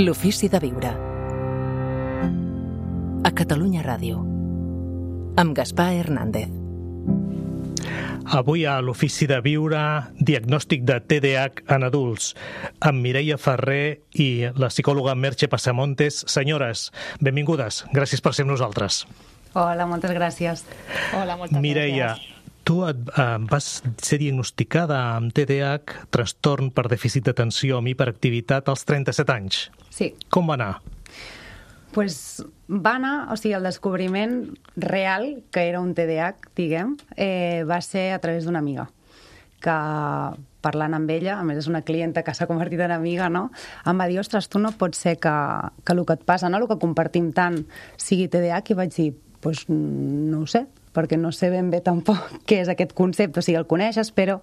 L'ofici de viure. A Catalunya Ràdio. Amb Gaspar Hernández. Avui a l'Ofici de Viure, diagnòstic de TDAH en adults, amb Mireia Ferrer i la psicòloga Merche Passamontes. Senyores, benvingudes. Gràcies per ser amb nosaltres. Hola, moltes gràcies. Hola, moltes Mireia, gràcies. tu vas ser diagnosticada amb TDAH, trastorn per dèficit d'atenció amb hiperactivitat, als 37 anys. Sí. Com va anar? Pues va anar, o sigui, el descobriment real, que era un TDAH, diguem, va ser a través d'una amiga, que parlant amb ella, a més és una clienta que s'ha convertit en amiga, no? Em va dir, ostres, tu no pot ser que el que et passa, no? El que compartim tant sigui TDAH, i vaig dir, pues no ho sé, perquè no sé ben bé tampoc què és aquest concepte, o sigui, el coneixes, però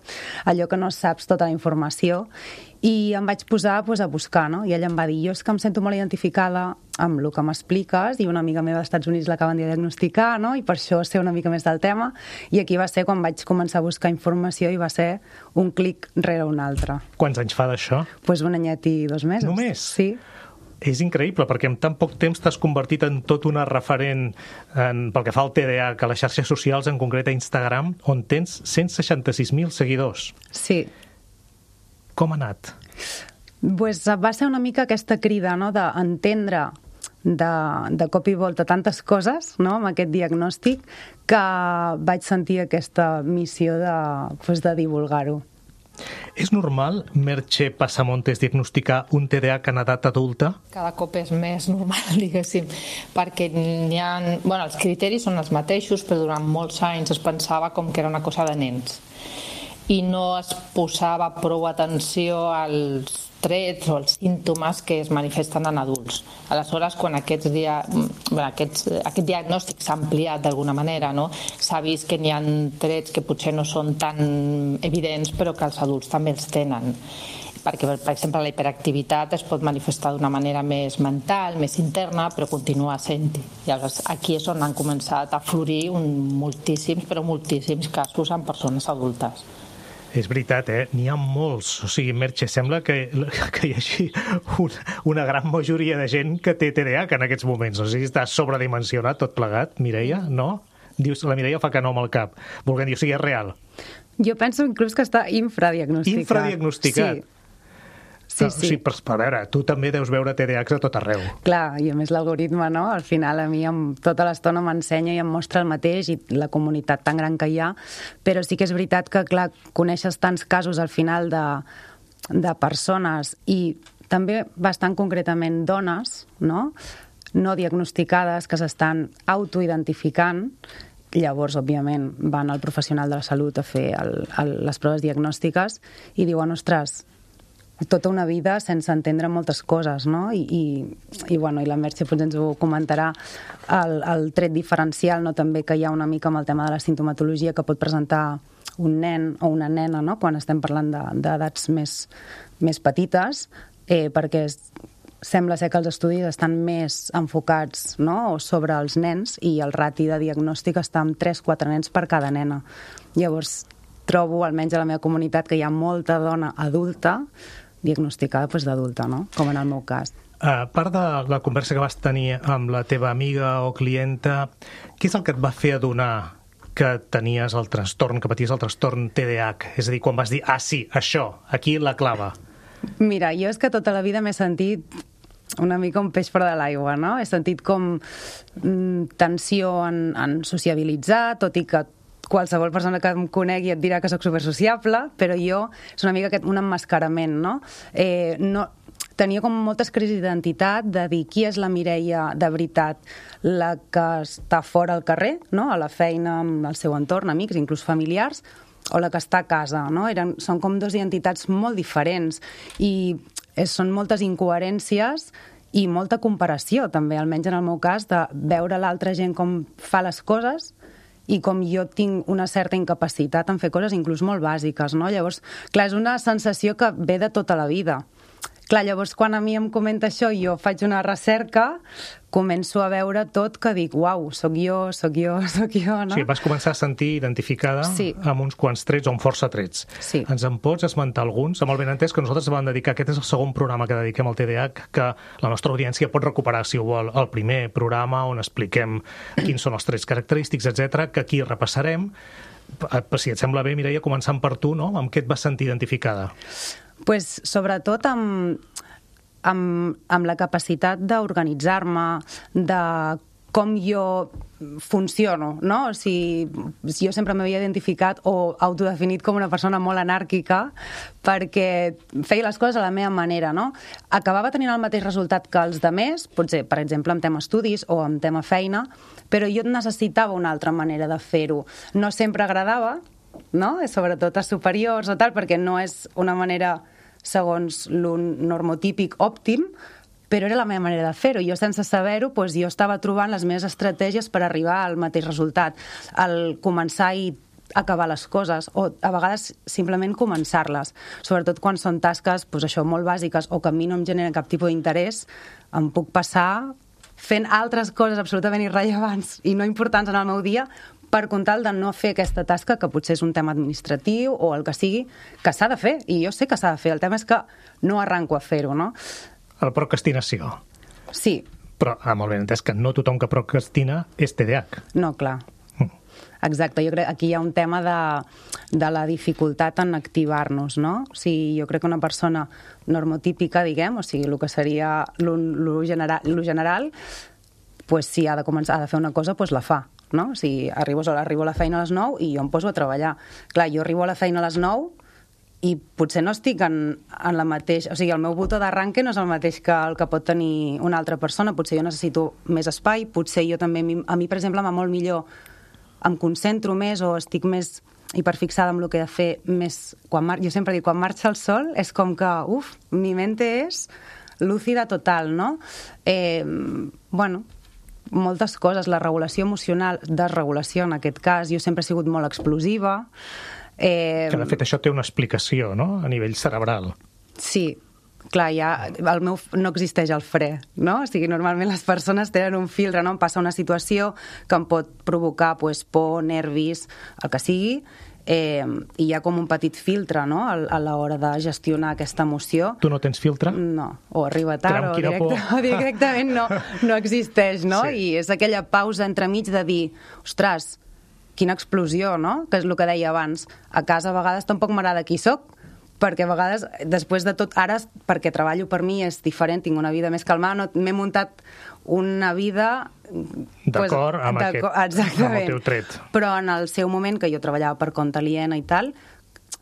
allò que no saps tota la informació, i em vaig posar pues, a buscar, no? I ella em va dir, jo és que em sento molt identificada amb el que m'expliques, i una amiga meva dels Estats Units l'acaben de diagnosticar, no? I per això sé una mica més del tema, i aquí va ser quan vaig començar a buscar informació i va ser un clic rere un altre. Quants anys fa d'això? Pues un anyet i 2 mesos. Només? Sí. És increïble, perquè en tan poc temps t'has convertit en tot una referent pel que fa al TDAH, a les xarxes socials, en concret a Instagram, on tens 166.000 seguidors. Sí. Com ha anat? Pues va ser una mica aquesta crida, no?, d'entendre de cop i volta tantes coses, no?, amb aquest diagnòstic, que vaig sentir aquesta missió de divulgar-ho. És normal, Merche Passamontes, diagnosticar un TDAH en edat adulta? Cada cop és més normal, diguéssim, perquè n'hi ha... Bueno, els criteris són els mateixos, però durant molts anys es pensava com que era una cosa de nens i no es posava prou atenció als trets o als símptomes que es manifesten en adults. Aleshores, quan aquest diagnòstic s'ha ampliat d'alguna manera, no? S'ha vist que n'hi ha trets que potser no són tan evidents, però que els adults també els tenen. Perquè, per exemple, la hiperactivitat es pot manifestar d'una manera més mental, més interna, però continua sent-hi. Llavors, aquí és on han començat a florir moltíssims, però moltíssims casos en persones adultes. És veritat, n'hi ha molts. O sigui, Merche, sembla que hi hagi una gran majoria de gent que té TDAH en aquests moments. O sigui, està sobredimensionat tot plegat, Mireia, no? Dius, la Mireia fa que no amb el cap. Volguem dir, o sigui, és real. Jo penso inclús que està infradiagnosticat. Infradiagnosticat? Sí. Sí. O sigui, a veure, tu també deus veure TDAHs a tot arreu. Clar, i a més l'algoritme, no? Al final a mi tota l'estona m'ensenya i em mostra el mateix, i la comunitat tan gran que hi ha, però sí que és veritat que, clar, coneixes tants casos al final de persones, i també bastant concretament dones, no diagnosticades, que s'estan autoidentificant. Llavors, òbviament, van al professional de la salut a fer les proves diagnòstiques i diuen, ostres, tota una vida sense entendre moltes coses, no? I la Merche potser ens ho comentarà, el tret diferencial, no?, també que hi ha una mica amb el tema de la sintomatologia que pot presentar un nen o una nena, no?, quan estem parlant d'edats més petites, perquè sembla ser que els estudis estan més enfocats, no?, sobre els nens, i el rati de diagnòstic està en 3-4 nens per cada nena. Llavors, trobo, almenys a la meva comunitat, que hi ha molta dona adulta diagnosticada d'adulta, no?, com en el meu cas. A part de la conversa que vas tenir amb la teva amiga o clienta, què és el que et va fer adonar que tenies el trastorn, que paties el trastorn TDAH? És a dir, quan vas dir, sí, això, aquí la clava. Mira, jo és que tota la vida m'he sentit una mica un peix fora de l'aigua, no? He sentit com tensió en sociabilitzar, tot i que qualsevol persona que em conegui et dirà que soc supersociable, però jo és una mica un emmascarament, no? Tenia com moltes crisis d'identitat, de dir qui és la Mireia de veritat, la que està fora al carrer, no?, a la feina, amb el seu entorn, amics, inclús familiars, o la que està a casa, no? Són com dues identitats molt diferents, i són moltes incoherències i molta comparació, també, almenys en el meu cas, de veure l'altra gent com fa les coses i com jo tinc una certa incapacitat en fer coses inclús molt bàsiques, no? Llavors, clar, és una sensació que ve de tota la vida, Clar, llavors quan a mi em comenta això i jo faig una recerca, començo a veure tot que dic, uau, sóc jo, no? Sí, vas començar a sentir identificada amb uns quants trets o amb força trets. Sí. Ens en pots esmentar alguns? Amb el benentès que nosaltres vam dedicar, aquest és el segon programa que dediquem al TDAH, que la nostra audiència pot recuperar, si ho vol, el primer programa on expliquem quins són els trets característics, etc, que aquí repassarem. Si et sembla bé, Mireia, començant per tu, no? Amb què et vas sentir identificada? Pues, sobretot amb la capacitat d'organitzar-me, de com jo funciono, no? O sigui, jo sempre m'havia identificat o autodefinit com una persona molt anàrquica perquè feia les coses a la meva manera, no? Acabava tenint el mateix resultat que els demés, potser, per exemple, en tema estudis o en tema feina, però jo necessitava una altra manera de fer-ho. No sempre agradava, no? Sobretot a superiors o tal, perquè no és una manera segons l'un normotípic òptim, però era la meva manera de fer-ho. Jo, sense saber-ho, jo estava trobant les meves estratègies per arribar al mateix resultat. Al començar i acabar les coses, o a vegades simplement començar-les. Sobretot quan són tasques, això, molt bàsiques, o que a mi no em generen cap tipus d'interès, em puc passar fent altres coses absolutament irrellevants i no importants en el meu dia, per comptar de no fer aquesta tasca, que potser és un tema administratiu o el que sigui, que s'ha de fer, i jo sé que s'ha de fer. El tema és que no arranco a fer-ho, no? La procrastinació. Sí. Però amb el benentès que no tothom que procrastina és TDAH. No, clar. Exacte, jo crec que aquí hi ha un tema de la dificultat en activar-nos, no? O sigui, jo crec que una persona normotípica, diguem, o sigui, el que seria lo general, si ha de fer una cosa, la fa. No? O sigui, arribo a la feina a les 9 i jo em poso a treballar. Clar, jo arribo a la feina a les 9 i potser no estic en la mateixa... O sigui, el meu botó d'arranque no és el mateix que el que pot tenir una altra persona. Potser jo necessito més espai, potser jo també... A mi, per exemple, m'ha molt millor... Em concentro més o estic més hiperfixada amb el que he de fer més... Jo sempre dic, quan marxa el sol és com que, mi mente és lúcida total, no? Bueno... moltes coses, la regulació emocional, desregulació en aquest cas, jo sempre he sigut molt explosiva. Que de fet això té una explicació, no?, a nivell cerebral. Sí, clar, el meu no existeix el fre, no? O sigui, normalment les persones tenen un filtre, no? Em passa una situació que em pot provocar por, nervis, el que sigui, i hi ha com un petit filtre, no?, a l'hora de gestionar aquesta emoció. Tu no tens filtre? No, o arriba tard o directament no existeix, no? Sí. I és aquella pausa entremig de dir, ostres, quina explosió, no?, que és el que deia abans. A casa a vegades tampoc m'agrada qui soc, perquè a vegades, després de tot, ara, perquè treballo per mi, és diferent, tinc una vida més calmada, m'he muntat una vida... D'acord amb el teu tret. Però en el seu moment, que jo treballava per compte aliena i tal,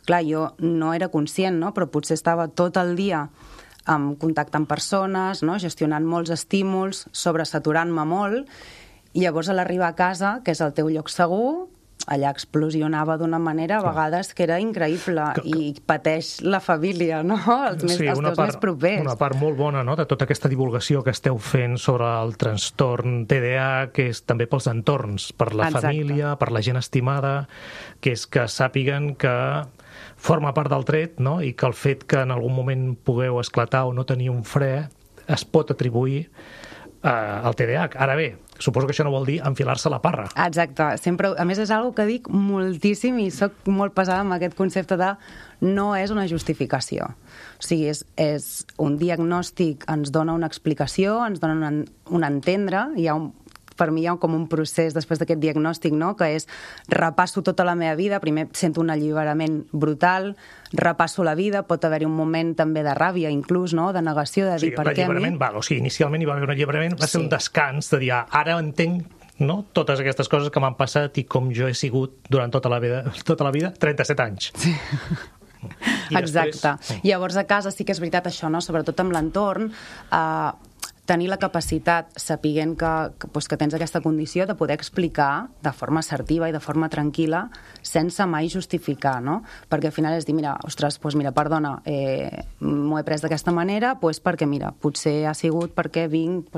clar, jo no era conscient, no?, però potser estava tot el dia en contacte amb persones, no?, gestionant molts estímuls, sobresaturant-me molt, i llavors a l'arribar a casa, que és el teu lloc segur, allà explosionava d'una manera a vegades que era increïble i pateix la família, no?, els teus més propers. Una part molt bona, no?, de tota aquesta divulgació que esteu fent sobre el trastorn TDAH, que és també pels entorns, per la família, per la gent estimada, que és que sàpiguen que forma part del tret, no?, i que el fet que en algun moment pugueu esclatar o no tenir un fre es pot atribuir al TDAH. Ara bé, suposo que això no vol dir enfilar-se la parra. Exacte. Sempre, a més, és una que dic moltíssim i soc molt pesada amb aquest concepte de no és una justificació. O sigui, és un diagnòstic, ens dona una explicació, ens dona un entendre, per mi hi ha com un procés després d'aquest diagnòstic, no?, que és repasso tota la meva vida, primer sento un alliberament brutal, repasso la vida, pot haver-hi un moment també de ràbia, inclús, no?, de negació, de dir per què a mi... Inicialment hi va haver un alliberament, va ser un descans de dir, ara entenc, no?, totes aquestes coses que m'han passat i com jo he sigut durant tota la vida, 37 anys. Sí. Exacte. Llavors a casa sí que és veritat això, no?, sobretot amb l'entorn, tenir la capacitat, sapiguent que tens aquesta condició, de poder explicar de forma assertiva i de forma tranquil·la, sense mai justificar, no? Perquè al final és dir, perdona, m'ho he pres d'aquesta manera, perquè, potser ha sigut perquè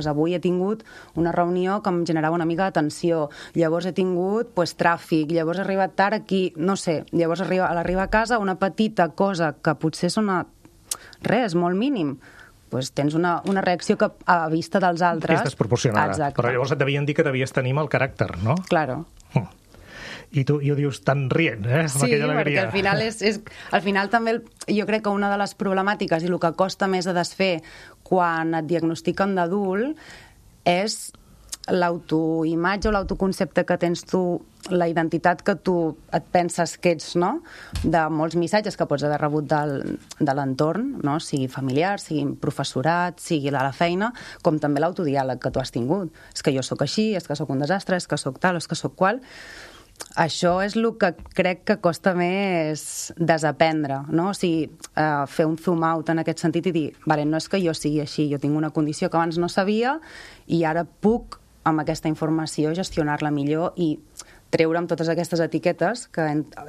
avui he tingut una reunió que em generava una mica de tensió, llavors he tingut tràfic, llavors he arribat tard aquí, no sé, llavors a l'arribar a casa una petita cosa que potser és molt mínim, tens una reacció que a vista dels altres... És desproporcionada. Exacte. Però llavors et devien dir que devies tenir mal caràcter, no? Claro. I tu ho dius tan rient, amb aquella alegria. Perquè al final també jo crec que una de les problemàtiques i el que costa més a desfer quan et diagnostiquen d'adult és l'autoimatge o l'autoconcepte que tens tu, la identitat que tu et penses que ets, no? De molts missatges que pots haver rebut de l'entorn, no? Sigui familiar, sigui professorat, sigui de la feina, com també l'autodiàleg que tu has tingut. És que jo sóc així, és que sóc un desastre, és que sóc tal, és que sóc qual... Això és el que crec que costa més desaprendre, no? O sigui, fer un zoom out en aquest sentit i dir, vale, no és que jo sigui així, jo tinc una condició que abans no sabia i ara puc, amb aquesta informació, gestionar-la millor i treure'm totes aquestes etiquetes que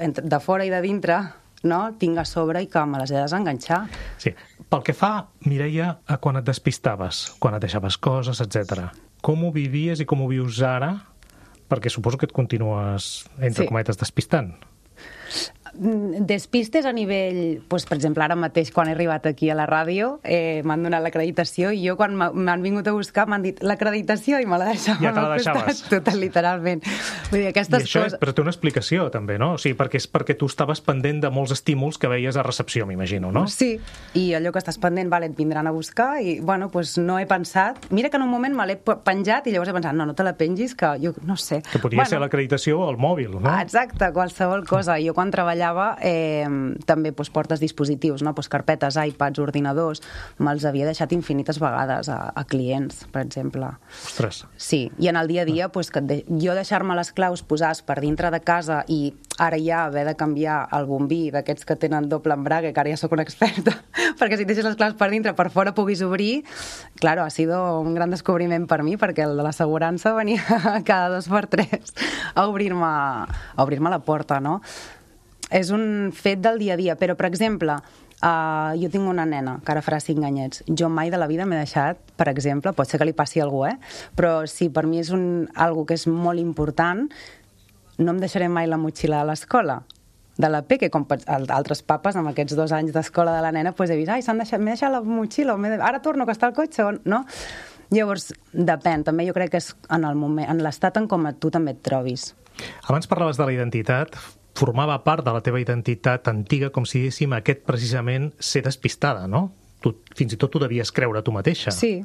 de fora i de dintre, no, tinc a sobre i que me les he de desenganxar. Sí. Pel que fa, Mireia, a quan et despistaves, quan et deixaves coses, etc. Com ho vivies i com ho vius ara? Perquè suposo que et continues, entre cometes, despistant. Despistes a nivell... Doncs, per exemple, ara mateix, quan he arribat aquí a la ràdio, m'han donat l'acreditació i jo, quan m'han vingut a buscar, m'han dit l'acreditació i me la deixaven ja te la deixaves. Tot, literalment. Vull dir, aquestes coses... Però té una explicació, també, no? O sigui, perquè tu estaves pendent de molts estímuls que veies a recepció, m'imagino, no? Sí, i allò que estàs pendent, vale, et vindran a buscar i, bueno, doncs no he pensat... Mira que en un moment me l'he penjat i llavors he pensat, no te la pengis, que jo no sé. Que podria ser l'acreditació al mòbil, no? Exacte, qualsevol cosa. Jo quan treballava també portes dispositius, no? Carpetes, iPads, ordinadors, me'ls havia deixat infinites vegades a clients, per exemple. Ostres. Sí, i en el dia a dia, jo deixar-me les claus posades per dintre de casa i ara ja haver de canviar el bombí d'aquests que tenen doble embrague, que ara ja sóc una experta, perquè si deixes les claus per dintre, per fora puguis obrir, claro, ha sido un gran descobriment per mi, perquè el de l'assegurança venia cada 2 per 3 a obrir-me la porta, no? És un fet del dia a dia, però, per exemple, jo tinc una nena que ara farà 5 anyets. Jo mai de la vida m'he deixat, per exemple, pot ser que li passi a algú, però si per mi és algo que és molt important, no em deixaré mai la motxilla a l'escola de la Peque, com altres papes amb aquests 2 anys d'escola de la nena, he vist, m'he deixat la motxilla, ara torno, que està al cotxe, no? Llavors, depèn, també jo crec que és en l'estat en com tu també et trobis. Abans parlaves de la identitat, formava part de la teva identitat antiga, com si diguéssim, aquest precisament ser despistada, no? Fins i tot tu devies creure tu mateixa. Sí,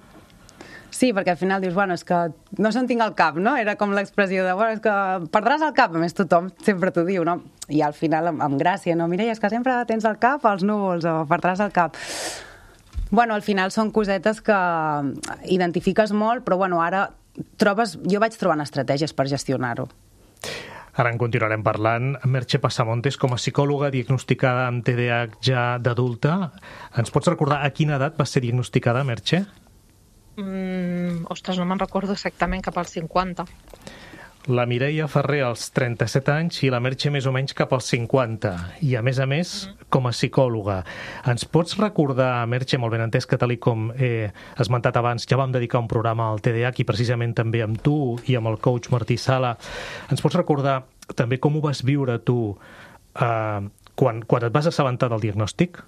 perquè al final dius, bueno, és que no se'n tinc al cap, no? Era com l'expressió de, bueno, és que perdràs el cap, a més tothom sempre t'ho diu, no? I al final, amb gràcia, no? Mireia, és que sempre tens el cap als núvols o perdràs el cap. Bueno, al final són cosetes que identifiques molt, però bueno, ara jo vaig trobant estratègies per gestionar-ho. Ara en continuarem parlant. Merche Passamontes, com a psicòloga diagnosticada amb TDAH ja d'adulta, ens pots recordar a quina edat vas ser diagnosticada, Merche? Ostres, no me'n recordo exactament, cap als 50. La Mireia Ferrer als 37 anys i la Merche més o menys cap als 50. I, a més, com a psicòloga. Ens pots recordar, Merche, molt ben entès que tal com he esmentat abans, ja vam dedicar un programa al TDAH i precisament també amb tu i amb el coach Martí Sala. Ens pots recordar també com ho vas viure tu quan et vas assabentar del diagnòstic?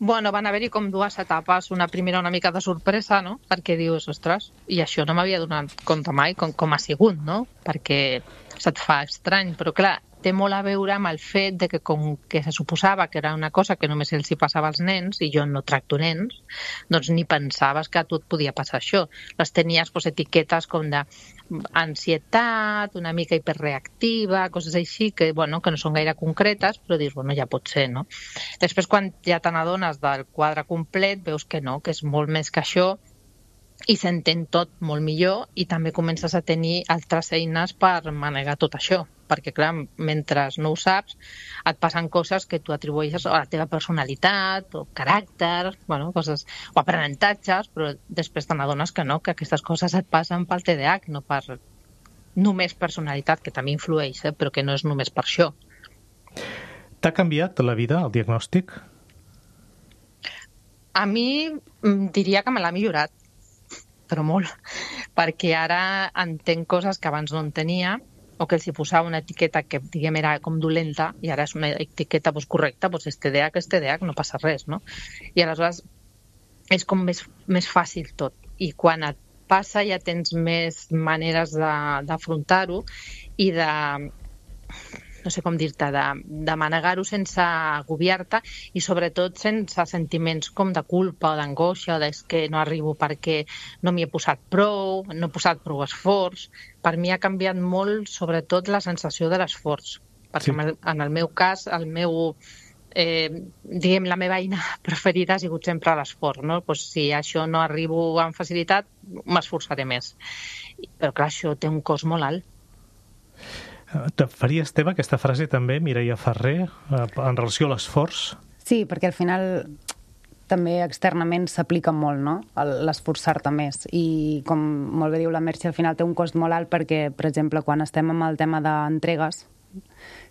Bueno, van haver-hi com 2 etapes. Una primera una mica de sorpresa, no? Perquè dius, ostres, i això no m'havia donat compte mai com ha sigut, no? Perquè se't fa estrany, però clar, té molt a veure amb el fet de que com que se suposava que era una cosa que només els hi passava als nens, i jo no tracto nens, doncs ni pensaves que a tu et podia passar això. Les tenies etiquetes com d'ansietat, una mica hiperreactiva, coses així que, bueno, que no són gaire concretes, però dius, bueno, ja pot ser, no? Després, quan ja te n'adones del quadre complet, veus que no, que és molt més que això, i s'entén tot molt millor i també comences a tenir altres eines per manegar tot això, perquè clar, mentre no ho saps et passen coses que tu atribueixes a la teva personalitat o caràcter, bueno, coses, o aprenentatges, però després te n'adones que no, que aquestes coses et passen pel TDAH, no per només personalitat, que també influeix, però que no és només per això. T'ha canviat la vida, el diagnòstic? A mi diria que me l'ha millorat, però molt, perquè ara entenc coses que abans no entenia, o que els hi posava una etiqueta que, diguem, era com dolenta, i ara és una etiqueta correcta, és TDAH, no passa res, no? I aleshores és com més fàcil tot. I quan et passa ja tens més maneres d'afrontar-ho i no sé com dir-te, de manegar-ho sense agobiar-te i sobretot sense sentiments com de culpa o d'angoixa, que no arribo perquè no m'hi he posat prou, no he posat prou esforç. Per mi ha canviat molt, sobretot, la sensació de l'esforç. Perquè en el meu cas, diguem, la meva eina preferida ha sigut sempre l'esforç, no? Pues si això no arribo amb facilitat, m'esforçaré més. Però clar, això té un cost molt alt. Te faries teva aquesta frase també, Mireia Ferrer, en relació a l'esforç? Sí, perquè al final també externament s'aplica molt, no?, l'esforçar-te més. I com molt bé diu la Merche, al final té un cost molt alt perquè, per exemple, quan estem amb el tema d'entregues,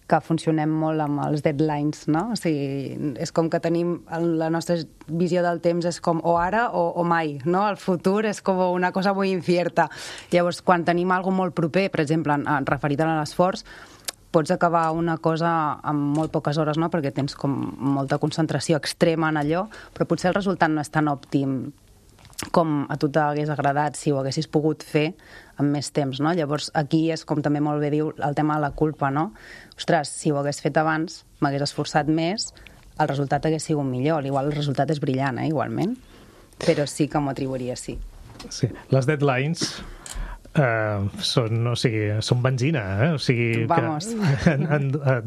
que funcionem molt amb els deadlines, no? O sigui, és com que tenim la nostra visió del temps és com o ara o mai, no? El futur és com una cosa molt incierta. Llavors, quan tenim alguna molt proper, per exemple, referit a l'esforç, pots acabar una cosa en molt poques hores, no? Perquè tens com molta concentració extrema en allò, però potser el resultat no és tan òptim com a tu t'hagués agradat si ho haguessis pogut fer amb més temps, no? Llavors, aquí és com també molt bé diu el tema de la culpa, no? Ostres, si ho hagués fet abans, m'hagués esforçat més, el resultat hagués sigut millor. Igual el resultat és brillant, igualment, però sí que m'ho atribuiria, sí. Sí, les deadlines són benzina, O sigui, Vamos.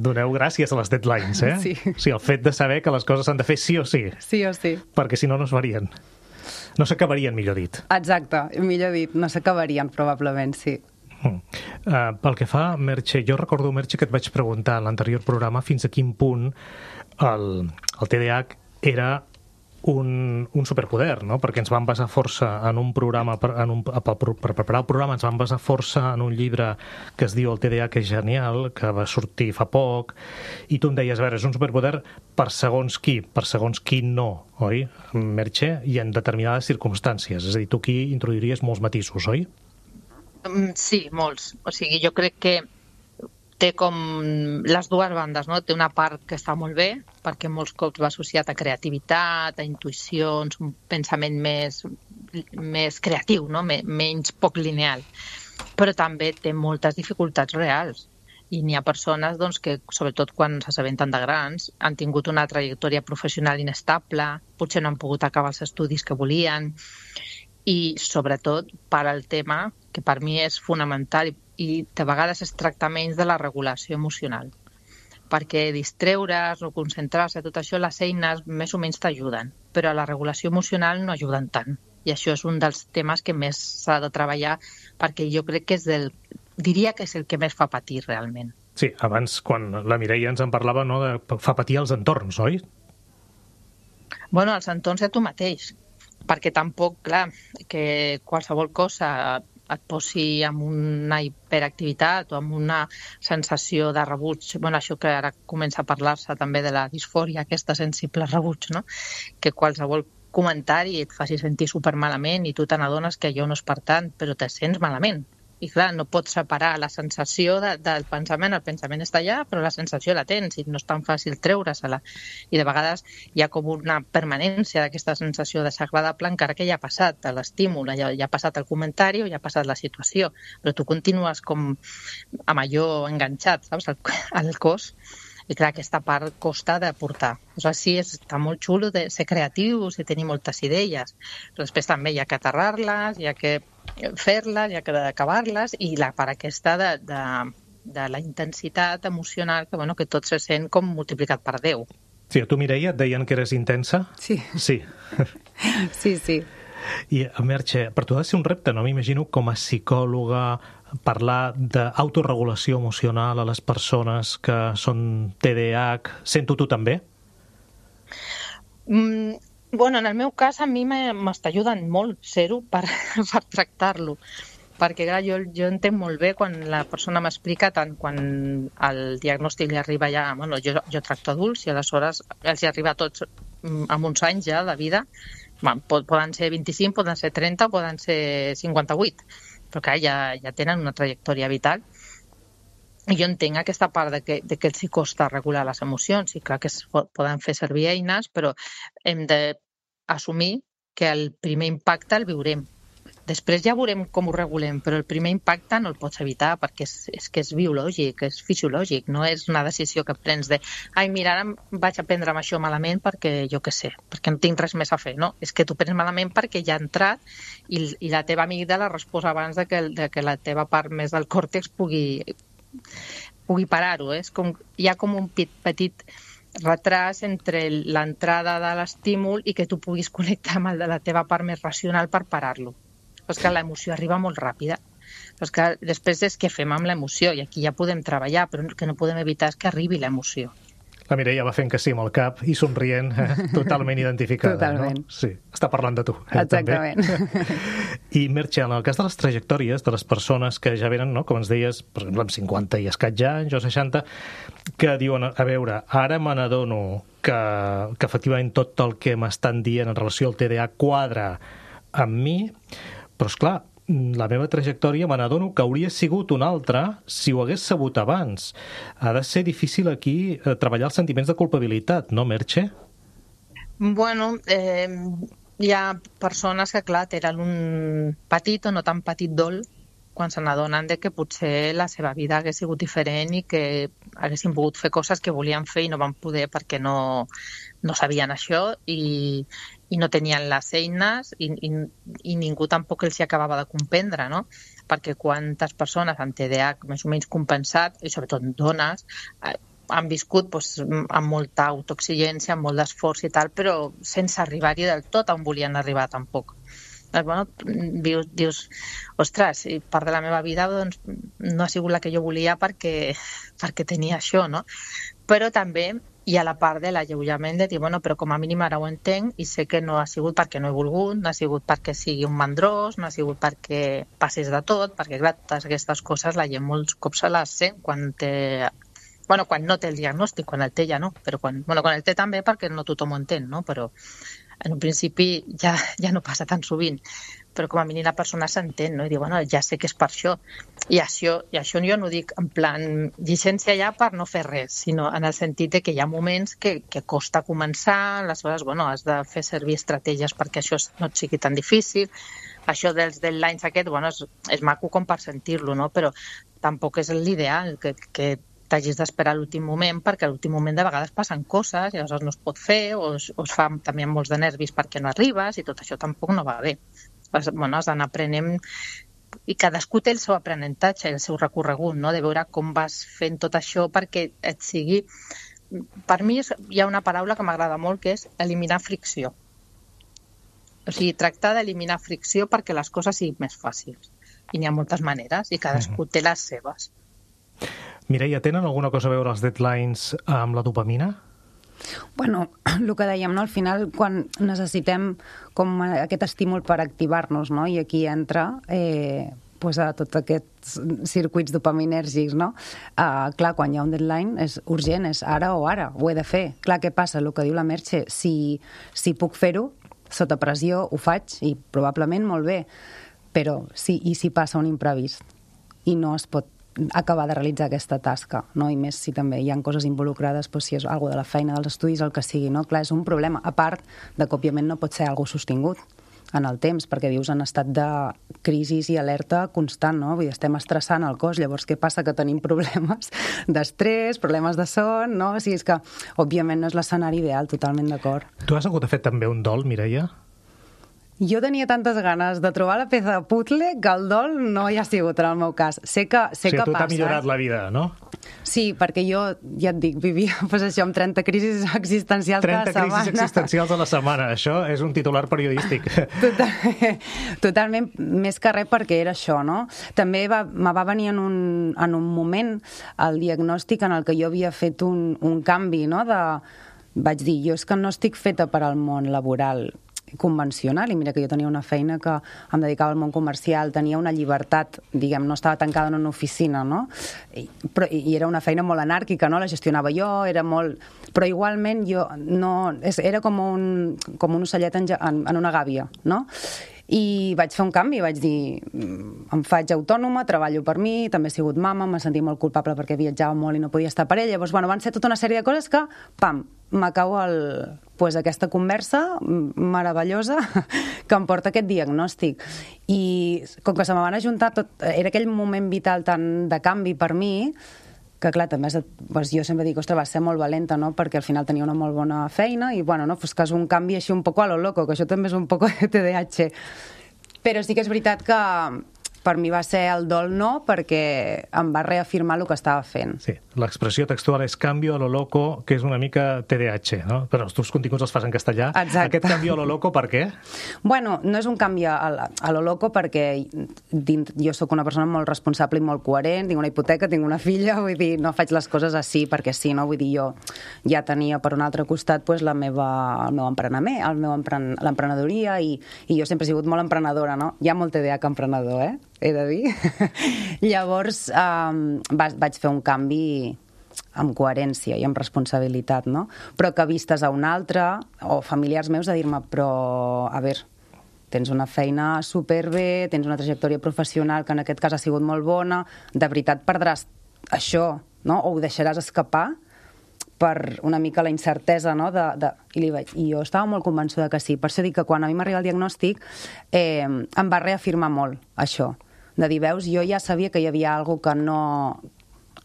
doneu gràcies a les deadlines, Sí. O sigui, el fet de saber que les coses s'han de fer sí o sí. Sí o sí. Perquè si no, no es farien. No s'acabarien, millor dit. Exacte, millor dit, no s'acabarien, probablement, sí. Pel que fa, Merche, jo recordo, Merche, que et vaig preguntar en l'anterior programa fins a quin punt el TDAH era un superpoder, no? Perquè ens vam basar força en un programa, per preparar el programa ens vam basar força en un llibre que es diu El TDAH és genial, que va sortir fa poc, i tu em deies, a veure, és un superpoder per segons qui no, oi, Merche? I en determinades circumstàncies, és a dir, tu aquí introduiries molts matisos, oi? Sí, molts. O sigui, jo crec que té com les dues bandes, no? Té una part que està molt bé, perquè molts cops va associat a creativitat, a intuïcions, un pensament més creatiu, no? Menys poc lineal. Però també té moltes dificultats reals. I n'hi ha persones doncs, que, sobretot quan s'assabenten de grans, han tingut una trajectòria professional inestable, potser no han pogut acabar els estudis que volien, i sobretot per al tema que per mi és fonamental i de vegades es tracta menys de la regulació emocional, perquè distreure's o concentrar-se, tot això, les eines més o menys t'ajuden, però la regulació emocional no ajuden tant, i això és un dels temes que més s'ha de treballar, perquè jo crec que diria que és el que més fa patir realment. Sí, abans, quan la Mireia ens en parlava, no, fa patir els entorns, oi? Bueno, els entorns de tu mateix, perquè tampoc, clar, que qualsevol cosa et posi amb una hiperactivitat o amb una sensació de rebuig. Bueno, això que ara comença a parlar-se també de la disfòria, aquesta sensible rebuig, no? Que qualsevol comentari et faci sentir supermalament i tu te n'adones que allò no és per tant, però te sents malament. I clar, no pots separar la sensació del pensament. El pensament està allà, però la sensació la tens i no és tan fàcil treure-se-la. I de vegades hi ha com una permanència d'aquesta sensació desagradable encara que ja ha passat l'estímul, ja ha passat el comentari o ja ha passat la situació, però tu continues com amb allò enganxat, saps, al cos. I clar, aquesta part costa de portar. O sigui, sí, està molt xulo de ser creatius i tenir moltes idees, però després també hi ha que aterrar-les, hi ha que fer-les, hi ha que acabar-les, i la part aquesta de la intensitat emocional, que tot se sent com multiplicat per 10. Sí, a tu, Mireia, et deien que eres intensa? Sí. Sí. Sí. I, Merche, per tu ha de ser un repte, no? M'imagino, com a psicòloga, parlar d'autoregulació emocional a les persones que són TDAH. Sento tu també? Bueno, en el meu cas a mi m'està ajudant molt ser-ho per tractar-lo, perquè clar, jo entenc molt bé quan la persona m'explica, tant quan el diagnòstic li arriba ja, bueno, jo tracto adults i aleshores els hi arriba a tots amb uns anys ja de vida, poden ser 25, poden ser 30, poden ser 58, però clar, ja tenen una trajectòria vital. I jo entenc aquesta part de que els hi costa regular les emocions i clar que es poden fer servir eines, però hem d'assumir que el primer impacte el viurem. Després ja veurem com ho regulem, però el primer impacte no el pots evitar perquè és que és biològic, és fisiològic, no és una decisió que prens de ai, mira, ara vaig a prendre'm això malament perquè jo què sé, perquè no tinc res més a fer, no? És que tu prens malament perquè ja ha entrat i la teva amígdala respòs abans de que la teva part més del còrtex pugui parar-ho. Hi ha com un petit retras entre l'entrada de l'estímul i que tu puguis connectar amb el de la teva part més racional per parar-lo. Però és que l'emoció arriba molt ràpida. Però és que després és què fem amb l'emoció, i aquí ja podem treballar, però el que no podem evitar és que arribi l'emoció. La Mireia va fent que sí amb el cap i somrient, totalment identificada. Totalment. No? Sí, està parlant de tu. Exactament. També. I Merche, en el cas de les trajectòries de les persones que ja venen, no, com ens deies, per exemple, amb 50 i escaig anys o 60, que diuen, a veure, ara me n'adono que efectivament tot el que m'estan dient en relació al TDA quadra amb mi, però esclar, la meva trajectòria me n'adono que hauria sigut una altra si ho hagués sabut abans. Ha de ser difícil aquí treballar els sentiments de culpabilitat, no, Merche? Bueno, hi ha persones que, clar, tenen un petit o no tan petit dol quan se n'adonen de que potser la seva vida hagués sigut diferent i que haguessin pogut fer coses que volien fer i no van poder perquè no sabien això i no tenien les eines i ningú tampoc els hi acabava de comprendre, no? Perquè quantes persones amb TDAH més o menys compensat, i sobretot dones, han viscut amb molta autoexigència, amb molt d'esforç i tal, però sense arribar-hi del tot on volien arribar tampoc. Bueno, dius, ostres, part de la meva vida doncs, no ha sigut la que jo volia perquè tenia això, no? Però també hi ha la part de l'alleujament de dir, bueno, però com a mínim ara ho entenc i sé que no ha sigut perquè no he volgut, no ha sigut perquè sigui un mandrós, no ha sigut perquè passis de tot, perquè clar, totes aquestes coses la gent molts cops se les sent quan no té el diagnòstic, quan el té ja no, però quan el té també perquè no tothom ho entén, no? Però en un principi ja no passa tan sovint, però com a mínim la persona s'entén, no? I diu, bueno, ja sé que és per això. I això jo no ho dic en plan llicència ja per no fer res, sinó en el sentit de que hi ha moments que costa començar, aleshores, bueno, has de fer servir estratègies perquè això no et sigui tan difícil. Això dels deadlines bueno, és maco com per sentir-lo, no? Però tampoc és l'ideal que t'hagis d'esperar a l'últim moment, perquè a l'últim moment de vegades passen coses, i llavors no es pot fer, o es fa també amb molts de nervis perquè no arribes, i tot això tampoc no va bé. Bueno, has d'anar aprenent, i cadascú té el seu aprenentatge, el seu recorregut, no? De veure com vas fent tot això perquè et sigui... Per mi hi ha una paraula que m'agrada molt, que és eliminar fricció. O sigui, tractar d'eliminar fricció perquè les coses siguin més fàcils. I n'hi ha moltes maneres, i cadascú té les seves. Mireia, tenen alguna cosa a veure els deadlines amb la dopamina? Bueno, el que dèiem, no? Al final, quan necessitem com aquest estímul per activar-nos, no? I aquí entra a tots aquests circuits dopaminèrgics, no? Clar, quan hi ha un deadline és urgent, és ara o ara, ho he de fer. Clar, què passa? El que diu la Merche, si puc fer-ho, sota pressió ho faig i probablement molt bé, però i si passa un imprevist i no es pot acabar de realitzar aquesta tasca, no? I més si també hi ha coses involucrades, si és alguna de la feina, dels estudis, el que sigui, no? Clar, és un problema, a part de que òbviament no pot ser alguna sostingut en el temps, perquè vius en estat de crisi i alerta constant, no? Vull dir, estem estressant el cos, llavors què passa? Que tenim problemes d'estrès, problemes de son, no? O sigui, és que òbviament no és l'escenari ideal, totalment d'acord. Tu has hagut de fer també un dol, Mireia? Jo tenia tantes ganes de trobar la peça de puzzle que el dol no hi ha sigut en el meu cas. Sé que passa. A tu t'ha millorat la vida, no? Sí, perquè jo, ja et dic, vivia això amb 30 crisis existencials cada setmana. 30 crisis existencials a la setmana, això és un titular periodístic. Totalment, més que res perquè era això, no? També me va venir en un moment el diagnòstic en el que jo havia fet un canvi, no? Vaig dir, jo és que no estic feta per al món laboral convencional, i mira que jo tenia una feina que em dedicava al món comercial, tenia una llibertat, diguem, no estava tancada en una oficina, no? I era una feina molt anàrquica, no? La gestionava jo, era molt... Però igualment jo no... Era com un ocellet en una gàbia, no? I vaig fer un canvi, vaig dir, em faig autònoma, treballo per mi, també he sigut mama, m'he sentit molt culpable perquè viatjava molt i no podia estar per ella. Llavors, bueno, van ser tota una sèrie de coses que, pam, m'acau aquesta conversa meravellosa que em porta aquest diagnòstic. I com que se me van ajuntar tot, era aquell moment vital tan de canvi per mi, que clar, també jo sempre dic, ostres, va ser molt valenta, no?, perquè al final tenia una molt bona feina i, bueno, no, pues que és un canvi així un poco a lo loco, que això també és un poco de TDAH. Però sí que és veritat que per mi va ser el dol no, perquè em va reafirmar el que estava fent. Sí, l'expressió textual és cambio a lo loco, que és una mica TDAH, no? Però els teus continguts els fas en castellà. Exacte. Aquest cambio a lo loco, per què? Bueno, no és un canvi a lo loco perquè jo sóc una persona molt responsable i molt coherent, tinc una hipoteca, tinc una filla, vull dir, no faig les coses així perquè sí, no? Vull dir, jo ja tenia per un altre costat pues, el meu emprenament, l'emprenedoria i jo sempre he sigut molt emprenedora, no? Hi ha molt TDAH emprenedor, he de dir. Llavors vaig fer un canvi amb coherència i amb responsabilitat, no? Però que vistes a un altre, o familiars meus, a dir-me, però, a veure, tens una feina superbé, tens una trajectòria professional que en aquest cas ha sigut molt bona, de veritat perdràs això, no? O ho deixaràs escapar per una mica la incertesa, no? I jo estava molt convençuda que sí. Per això dic que quan a mi m'arriba el diagnòstic em va reafirmar molt això. De dir, veus, jo ja sabia que hi havia alguna que no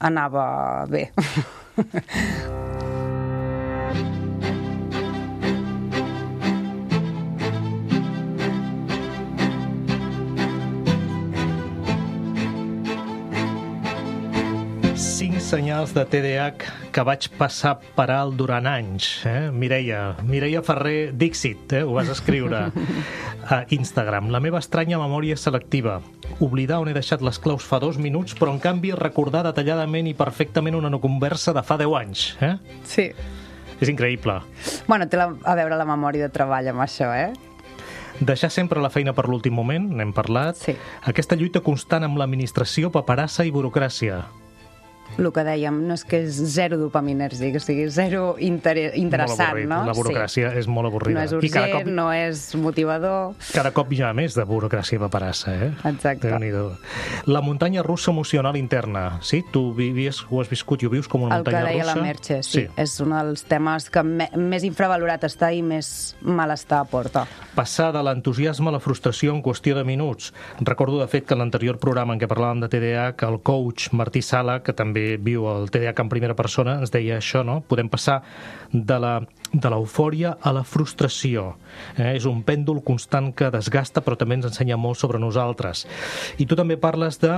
anava bé. Senyals de TDAH que vaig passar per alt durant anys. Mireia Ferrer, Dixit, ho vas escriure a Instagram. La meva estranya memòria selectiva. Oblidar on he deixat les claus fa 2 minuts, però en canvi recordar detalladament i perfectament una conversa de fa 10 anys. Sí. És increïble. Bueno, té a veure la memòria de treball amb això, Deixar sempre la feina per l'últim moment, n'hem parlat. Sí. Aquesta lluita constant amb l'administració, paperassa i burocràcia. El que dèiem, no és que és zero dopaminèrgic, o sigui, zero interessant, no? La burocràcia és molt avorrida. No és urgent, no és motivador. Cada cop hi ha més de burocràcia i paperassa, Exacte. Déu-n'hi-do. La muntanya russa emocional interna, sí? Tu ho has viscut i ho vius com una muntanya russa? El que deia la Merche, sí. És un dels temes que més infravalorat està i més malestar porta. Passar de l'entusiasme a la frustració en qüestió de minuts. Recordo, de fet, que en l'anterior programa en què parlàvem de TDAH, el coach Martí Sala, que també viu el TDAH en primera persona, ens deia això, no? Podem passar de l'eufòria a la frustració. És un pèndol constant que desgasta, però també ens ensenya molt sobre nosaltres. I tu també parles de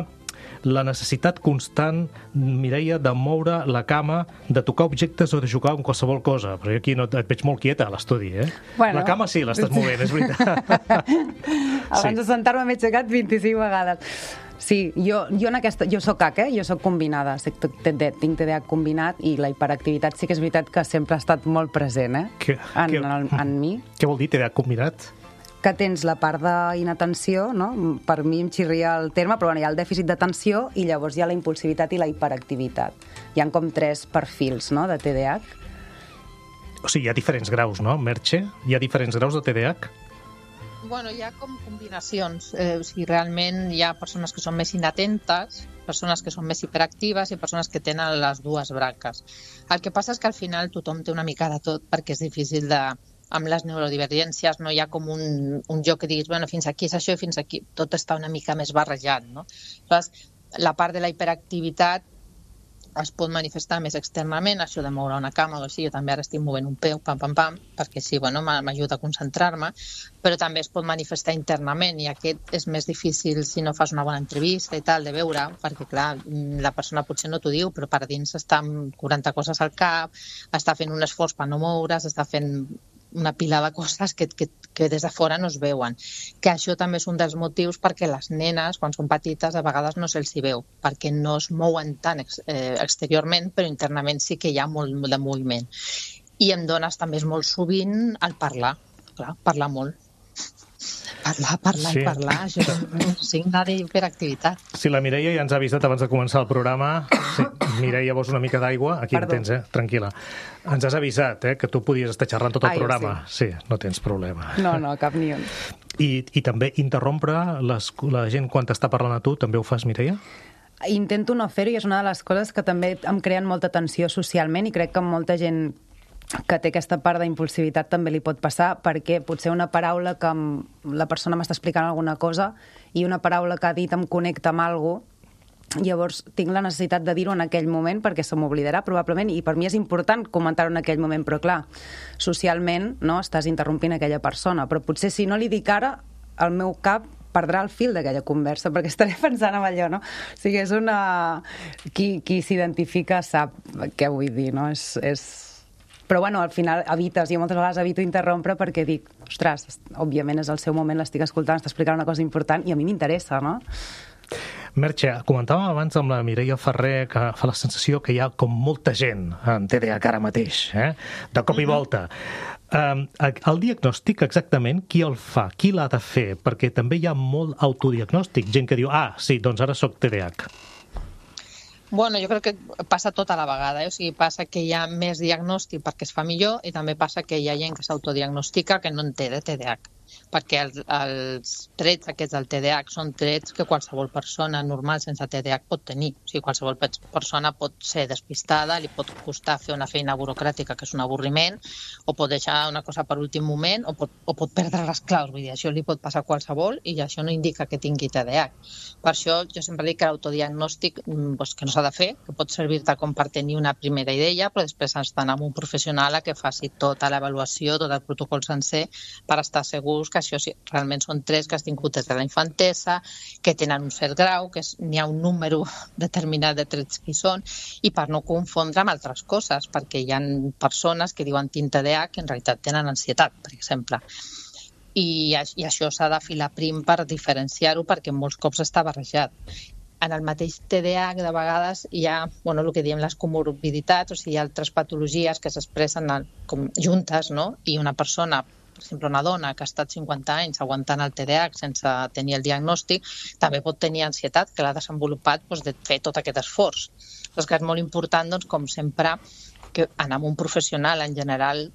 la necessitat constant, Mireia, de moure la cama, de tocar objectes o de jugar amb qualsevol cosa. Però jo aquí no, et veig molt quieta a l'estudi, Bueno, la cama sí, l'estàs movent, és veritat. Abans de sentar-me m'he aixecat 25 vegades. Sí, jo soc HAC, jo soc combinada, tinc TDAH combinat i la hiperactivitat sí que és veritat que sempre ha estat molt present, en mi. Què vol dir TDAH combinat? Que tens la part d'inatenció, no? Per mi em xirria el terme, però bueno, hi ha el dèficit d'atenció i llavors hi ha la impulsivitat i la hiperactivitat. Hi ha com 3 perfils, no?, de TDAH. O sigui, hi ha diferents graus, no, Merche? Hi ha diferents graus de TDAH? Bueno, hi ha com combinacions. O sigui, realment hi ha persones que són més inatentes, persones que són més hiperactives i persones que tenen les dues branques. El que passa és que al final tothom té una mica de tot perquè és difícil amb les neurodivergències no hi ha com un joc que diguis, bueno, fins aquí és això i fins aquí. Tot està una mica més barrejat, no? Llavors, la part de la hiperactivitat es pot manifestar més externament, això de moure una cama o així, jo també ara estic movent un peu, pam, pam, pam, perquè sí, bueno, m'ajuda a concentrar-me, però també es pot manifestar internament i aquest és més difícil si no fas una bona entrevista i tal, de veure, perquè clar, la persona potser no t'ho diu, però per dins està amb 40 coses al cap, està fent un esforç per no moure's, està fent una pila de coses que des de fora no es veuen. Que això també és un dels motius perquè les nenes, quan són petites, a vegades no se'ls hi veu, perquè no es mouen tant exteriorment, però internament sí que hi ha molt de moviment. I en dones també és molt sovint el parlar, clar, parlar molt. Parlar i parlar, això és un signe d'hiperactivitat. Sí, la Mireia ja ens ha avisat abans de començar el programa. Sí, Mireia, vols una mica d'aigua? Aquí en tens, tranquil·la. Ens has avisat, que tu podies estar xerrant tot el programa. Sí, no tens problema. No, cap ni un. I també interrompre la gent quan t'està parlant a tu, també ho fas, Mireia? Intento no fer-ho i és una de les coses que també em creen molta tensió socialment i crec que molta gent que té aquesta part d'impulsivitat també li pot passar, perquè potser una paraula que la persona m'està explicant alguna cosa i una paraula que ha dit em connecta amb alguna cosa, llavors tinc la necessitat de dir-ho en aquell moment perquè se m'oblidarà probablement i per mi és important comentar-ho en aquell moment, però clar, socialment no estàs interrompint aquella persona, però potser si no li dic ara, el meu cap perdrà el fil d'aquella conversa, perquè estaré pensant en allò, no? O sigui, és una... Qui s'identifica sap què vull dir, no? Però bueno, al final evites, jo moltes vegades evito interrompre perquè dic, ostres, òbviament és el seu moment, l'estic escoltant, està explicant una cosa important i a mi m'interessa, no? Merche, comentàvem abans amb la Mireia Ferrer que fa la sensació que hi ha com molta gent en TDAH ara mateix, de cop i volta. El diagnòstic exactament qui el fa, qui l'ha de fer? Perquè també hi ha molt autodiagnòstic, gent que diu, sí, doncs ara soc TDAH. Bueno, jo crec que passa tota la vegada, o sigui, passa que hi ha més diagnòstic perquè es fa millor i també passa que hi ha gent que s'autodiagnostica que no en té de TDAH, perquè els trets aquests del TDAH són trets que qualsevol persona normal sense TDAH pot tenir. O sigui, qualsevol persona pot ser despistada, li pot costar fer una feina burocràtica que és un avorriment, o pot deixar una cosa per últim moment, o pot perdre les claus. Vull dir, això li pot passar a qualsevol i això no indica que tingui TDAH. Per això jo sempre dic que l'autodiagnòstic que no s'ha de fer, que pot servir-te com per tenir una primera idea, però després has d'anar amb un professional a que faci tota l'avaluació, tot el protocol sencer, per estar segurs que això realment són trets que has tingut des de la infantesa, que tenen un cert grau, que n'hi ha un número determinat de trets que hi són, i per no confondre amb altres coses, perquè hi ha persones que diuen tinc TDAH que en realitat tenen ansietat, per exemple. I això s'ha de filar prim per diferenciar-ho, perquè molts cops està barrejat. En el mateix TDAH, de vegades, hi ha el que diem les comorbiditats, o sigui, hi ha altres patologies que s'expressen com juntes, no? I una persona, per exemple, una dona que ha estat 50 anys aguantant el TDAH sense tenir el diagnòstic, també pot tenir ansietat, que l'ha desenvolupat de fer tot aquest esforç. És que és molt important, com sempre, que anar amb un professional en general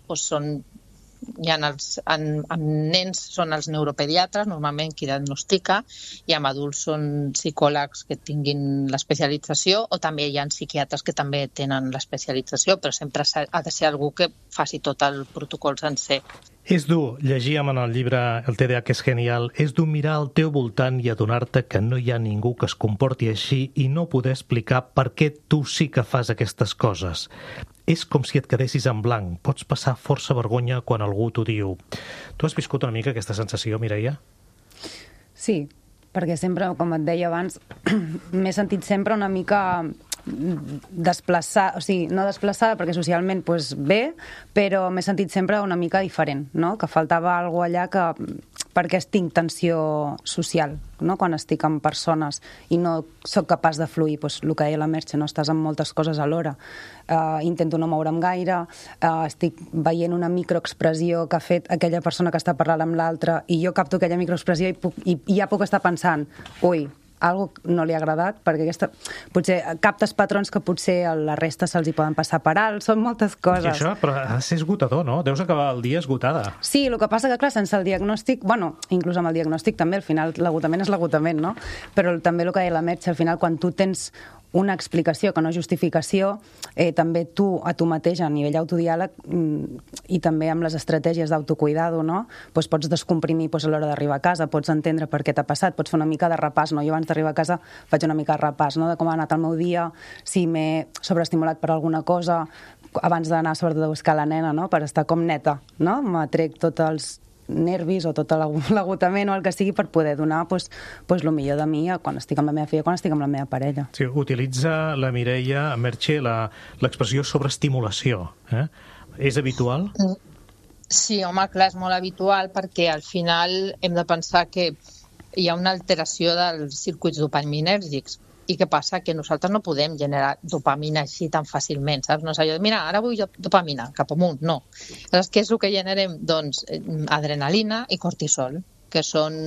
amb nens són els neuropediatres, normalment qui diagnostica, i amb adults són psicòlegs que tinguin l'especialització, o també hi ha psiquiatres que també tenen l'especialització, però sempre ha de ser algú que faci tot el protocol sencer. És dur, llegíem en el llibre El TDAH és genial, és dur mirar al teu voltant i adonar-te que no hi ha ningú que es comporti així i no poder explicar per què tu sí que fas aquestes coses. És com si et quedessis en blanc. Pots passar força vergonya quan algú t'ho diu. Tu has viscut una mica aquesta sensació, Mireia? Sí, perquè sempre, com et deia abans, m'he sentit sempre una mica desplaçada, o sigui, no desplaçada perquè socialment bé, però m'he sentit sempre una mica diferent, no? Que faltava alguna cosa allà perquè tinc tensió social, no? Quan estic amb persones i no sóc capaç de fluir, el que deia la Merche, no? Estàs amb moltes coses alhora. Intento no moure'm gaire, estic veient una microexpressió que ha fet aquella persona que està parlant amb l'altra i jo capto aquella microexpressió i ja puc estar pensant, ui, algo no li ha agradat, perquè potser captes patrons que potser a la resta se'ls hi poden passar per alt, són moltes coses. I això, però ha de ser esgotador, no? Deus acabar el dia esgotada. Sí, el que passa que, clar, sense el diagnòstic, inclús amb el diagnòstic també, al final l'agotament és l'agotament, no? Però també el que deia la Merche, al final, quan tu tens una explicació que no justificació, també tu, a tu mateix, a nivell autodiàleg i també amb les estratègies d'autocuidado, no? Pots descomprimir a l'hora d'arribar a casa, pots entendre per què t'ha passat, pots fer una mica de repàs, no? Jo abans d'arribar a casa faig una mica de repàs, no? De com ha anat el meu dia, si m'he sobreestimulat per alguna cosa, abans d'anar sobretot a buscar la nena, no? Per estar com neta, no? M'atrec tots els nervis o tot l'agotament o el que sigui per poder donar el millor de mi quan estic amb la meva filla, quan estic amb la meva parella. Sí, utilitza la Mireia Merche l'expressió sobreestimulació. És habitual? Sí, home, clar, és molt habitual perquè al final hem de pensar que hi ha una alteració dels circuits dopaminèrgics. I què passa? Que nosaltres no podem generar dopamina així tan fàcilment, saps? No és allò de, mira, ara vull dopamina, cap amunt, no. Llavors, què és el que generem? Doncs adrenalina i cortisol, que són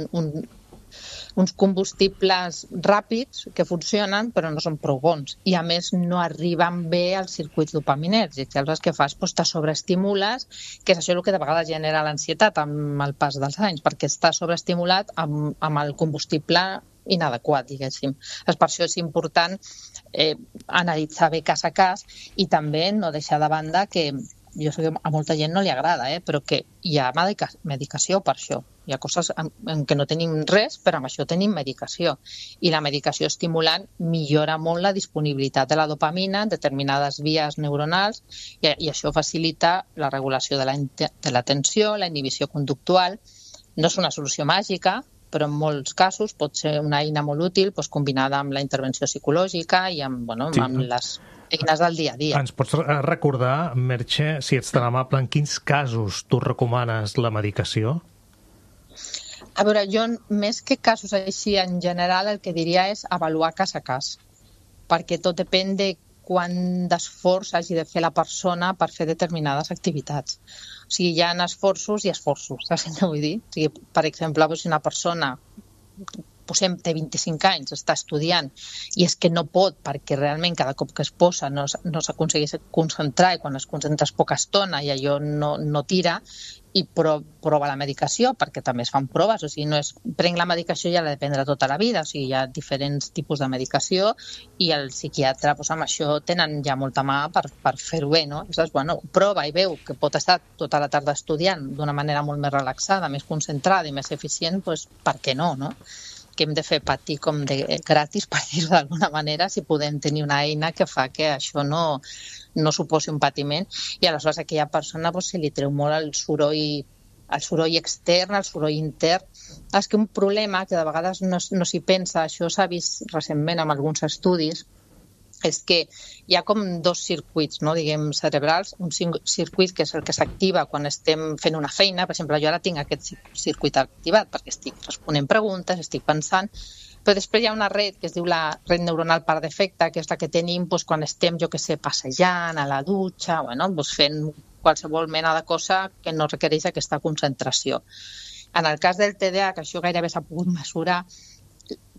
uns combustibles ràpids que funcionen però no són prou bons i a més no arriben bé als circuits dopaminèrgics. I aleshores què fas? Doncs te sobreestimules, que és això el que de vegades genera l'ansietat amb el pas dels anys, perquè estàs sobreestimulat amb el combustible inadequat, diguéssim. Per això és important analitzar bé cas a cas i també no deixar de banda que jo sé que a molta gent no li agrada, però que hi ha medicació per això. Hi ha coses en què no tenim res, però amb això tenim medicació. I la medicació estimulant millora molt la disponibilitat de la dopamina en determinades vies neuronals i això facilita la regulació de l'atenció, la inhibició conductual. No és una solució màgica, però en molts casos pot ser una eina molt útil combinada amb la intervenció psicològica i amb les eines del dia a dia. Ens pots recordar, Merche, si ets tan amable, en quins casos tu recomanes la medicació? A veure, jo més que casos així en general el que diria és avaluar cas a cas, perquè tot depèn de quant d'esforç hagi de fer la persona per fer determinades activitats. O sigui, hi ha esforços i esforços, saps què vull dir? O sigui, per exemple, si una persona té 25 anys, està estudiant i és que no pot perquè realment cada cop que es posa no s'aconsegueix concentrar i quan es concentra és poca estona i allò no tira i prova la medicació perquè també es fan proves, o sigui, no és prenc la medicació i ja l'ha de prendre tota la vida, o sigui, hi ha diferents tipus de medicació i el psiquiatre amb això tenen ja molta mà per fer-ho bé, no? Llavors, prova i veu que pot estar tota la tarda estudiant d'una manera molt més relaxada, més concentrada i més eficient, doncs per què no, no? Que hem de fer patir com de gratis, per dir-ho d'alguna manera, si podem tenir una eina que fa que això no suposi un patiment. I aleshores a aquella persona se li treu molt el soroll extern, el soroll intern. És que un problema que de vegades no s'hi pensa, això s'ha vist recentment amb alguns estudis, és que hi ha com dos circuits, no, diguem, cerebrals, un circuit que és el que s'activa quan estem fent una feina, per exemple, jo ara tinc aquest circuit activat perquè estic responent preguntes, estic pensant, però després hi ha una red que es diu la red neuronal per defecte, que és la que tenim quan estem, jo què sé, passejant, a la dutxa, fent qualsevol mena de cosa que no requereix aquesta concentració. En el cas del TDAH, que això gairebé s'ha pogut mesurar,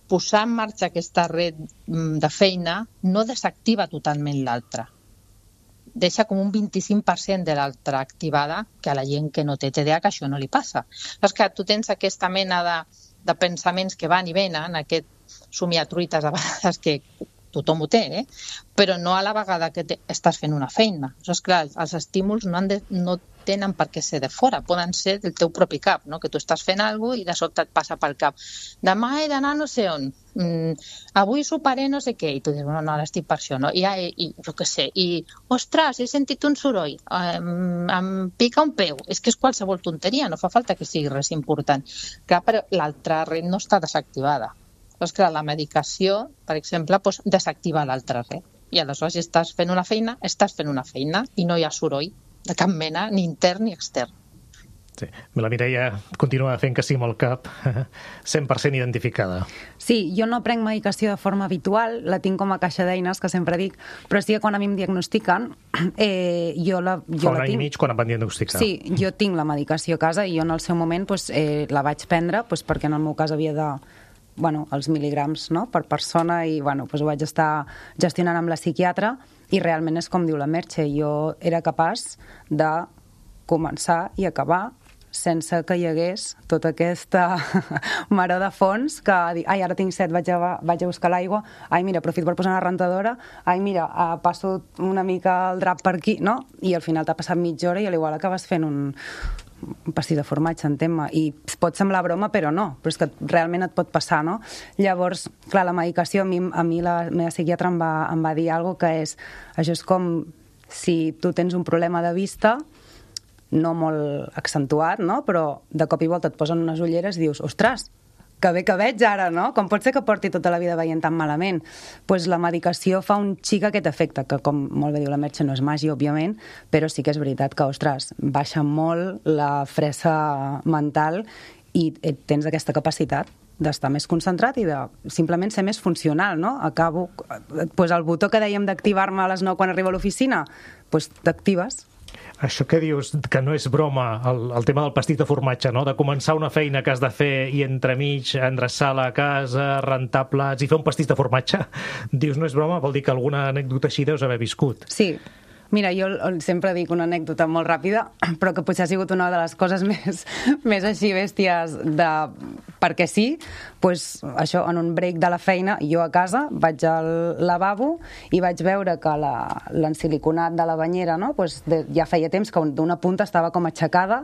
posar en marxa aquesta red de feina no desactiva totalment l'altra. Deixa com un 25% de l'altra activada, que a la gent que no té TDAH que això no li passa. És que tu tens aquesta mena de pensaments que van i venen, aquest somiatruites a vegades que tothom ho té, però no a la vegada que estàs fent una feina. És clar, els estímuls no tenen per què ser de fora, poden ser del teu propi cap, no? Que tu estàs fent alguna cosa i de sobte et passa pel cap. Demà he d'anar no sé on, avui soparé no sé què, i tu dius, no, ara estic per això, no? I jo què sé, i ostres, he sentit un soroll, em pica un peu, és que és qualsevol tonteria, no fa falta que sigui res important. Clar, però l'altra red no està desactivada. Doncs clar, la medicació, per exemple, desactiva l'altra red. I aleshores, si estàs fent una feina i no hi ha soroll de cap mena, ni intern ni extern. Sí. La Mireia continua fent que sí amb el cap, 100% identificada. Sí, jo no prenc medicació de forma habitual, la tinc com a caixa d'eines, que sempre dic, però sí que quan a mi em diagnostiquen, jo la tinc. Fa un any i mig quan em van diagnosticar. Sí, jo tinc la medicació a casa i jo en el seu moment la vaig prendre perquè en el meu cas havia de els mil·ligrams, no?, per persona i ho vaig estar gestionant amb la psiquiatra i realment és com diu la Merche, jo era capaç de començar i acabar sense que hi hagués tota aquesta maror de fons que dic, ara tinc set, vaig a buscar l'aigua, mira, aprofito per posar una rentadora, mira, passo una mica el drap per aquí, no? I al final t'ha passat mitja hora i a l'igual acabes fent un pastís de formatge, entén-me, i pot semblar broma, però no, però és que realment et pot passar, no? Llavors, clar, la medicació, a mi la meva psiquiatra em va dir alguna cosa que és, això és com si tu tens un problema de vista, no molt accentuat, no? Però de cop i volta et posen unes ulleres i dius, ostres, que bé que veig ara, no? Com pot ser que porti tota la vida veient tan malament? Doncs la medicació fa un xic aquest efecte, que com molt bé diu la Merche no és màgia, òbviament, però sí que és veritat que, ostres, baixa molt la fressa mental i tens aquesta capacitat d'estar més concentrat i de simplement ser més funcional, no? Acabo, el botó que dèiem d'activar-me a les 9 quan arribo a l'oficina, doncs t'actives Això que dius, que no és broma, el tema del pastís de formatge, no? De començar una feina que has de fer i entremig endreçar la casa, rentar plats i fer un pastís de formatge, dius, no és broma, vol dir que alguna anècdota així deus haver viscut. Sí. Mira, jo sempre dic una anècdota molt ràpida, però que potser ha sigut una de les coses més així bèsties de perquè sí, doncs això, en un break de la feina, jo a casa vaig al lavabo i vaig veure que l'ensiliconat de la banyera, no? Doncs ja feia temps que d'una punta estava com aixecada.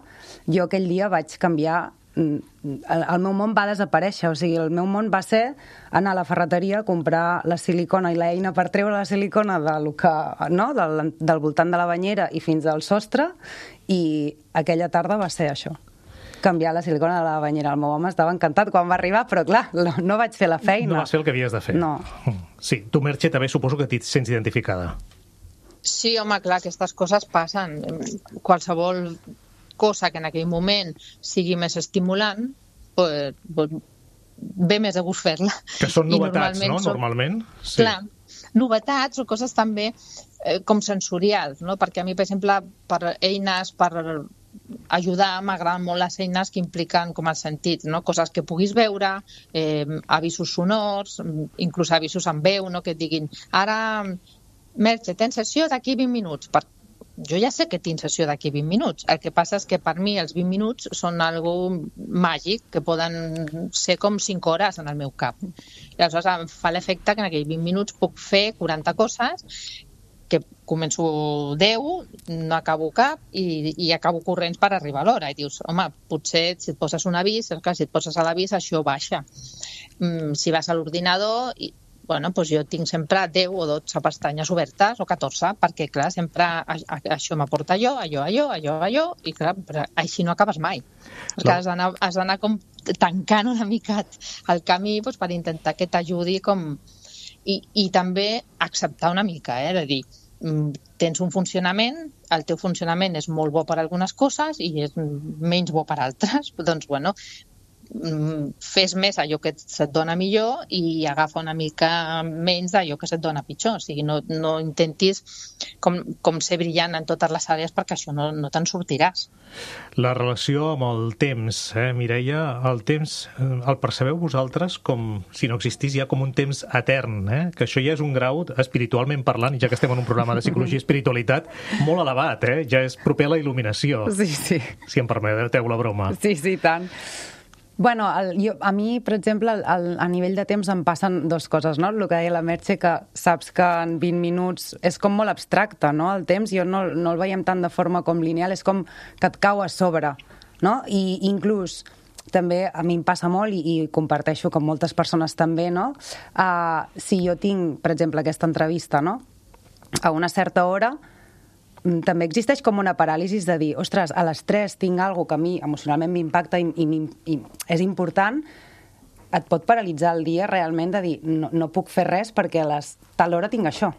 Jo aquell dia vaig canviar, el meu món va desaparèixer, o sigui, el meu món va ser anar a la ferreteria a comprar la silicona i l'eina per treure la silicona del voltant de la banyera i fins al sostre, i aquella tarda va ser això, canviar la silicona de la banyera. El meu home estava encantat quan va arribar, però clar, no vaig fer la feina. No vas fer el que havies de fer. No. Sí, tu, Merche, també suposo que t'hi sents identificada. Sí, home, clar, aquestes coses passen. Qualsevol cosa que en aquell moment sigui més estimulant, pues, ve més a gust fer-la. Que són novetats, no? Normalment. Sí. Clar, novetats o coses també com sensorials, no? Perquè a mi, per exemple, per eines, per ajudar, m'agraden molt les eines que impliquen com els sentits, no? Coses que puguis veure, avisos sonors, inclús avisos amb veu, no? Que et diguin, ara, Merche, tens sessió d'aquí 20 minuts, jo ja sé que tinc sessió d'aquí 20 minuts. El que passa és que per mi els 20 minuts són algo màgic, que poden ser com 5 hores en el meu cap. I aleshores em fa l'efecte que en aquells 20 minuts puc fer 40 coses, que començo 10, no acabo cap i acabo corrents per arribar a l'hora. I dius, home, potser si et poses un avís, si et poses a l'avís això baixa. Si vas a l'ordinador, bueno, doncs jo tinc sempre 10 o 12 pestanyes obertes, o 14, perquè, clar, sempre això m'aporta allò, i, clar, així no acabes mai. Perquè has d'anar com tancant una mica el camí doncs, per intentar que t'ajudi com... I també acceptar una mica, de dir, tens un funcionament, el teu funcionament és molt bo per algunes coses i és menys bo per altres, doncs, bueno, fes més allò que se't dona millor i agafa una mica menys d'allò que se't dona pitjor. O sigui, no intentis com ser brillant en totes les àrees, perquè això no te'n sortiràs. La relació amb el temps, Mireia, el temps el percebeu vosaltres com si no existís ja com un temps etern, que això ja és un grau, espiritualment parlant, i ja que estem en un programa de psicologia i espiritualitat, molt elevat, ja és proper a la il·luminació. Sí, sí. Si em permeteu la broma. Sí, sí, tant. Bueno, a mi, per exemple, a nivell de temps em passen dues coses, no? El que deia la Merche, que saps que en 20 minuts és com molt abstracte, no? El temps jo no el veiem tant de forma com lineal, és com que et cau a sobre, no? I inclús també a mi em passa molt i comparteixo com moltes persones també, no? Si jo tinc, per exemple, aquesta entrevista, no? A una certa hora, també existeix com una paràlisi de dir, ostres, a les 3 tinc alguna que a mi emocionalment m'impacta i és important, et pot paralitzar el dia realment de dir, no puc fer res perquè a tal hora tinc això.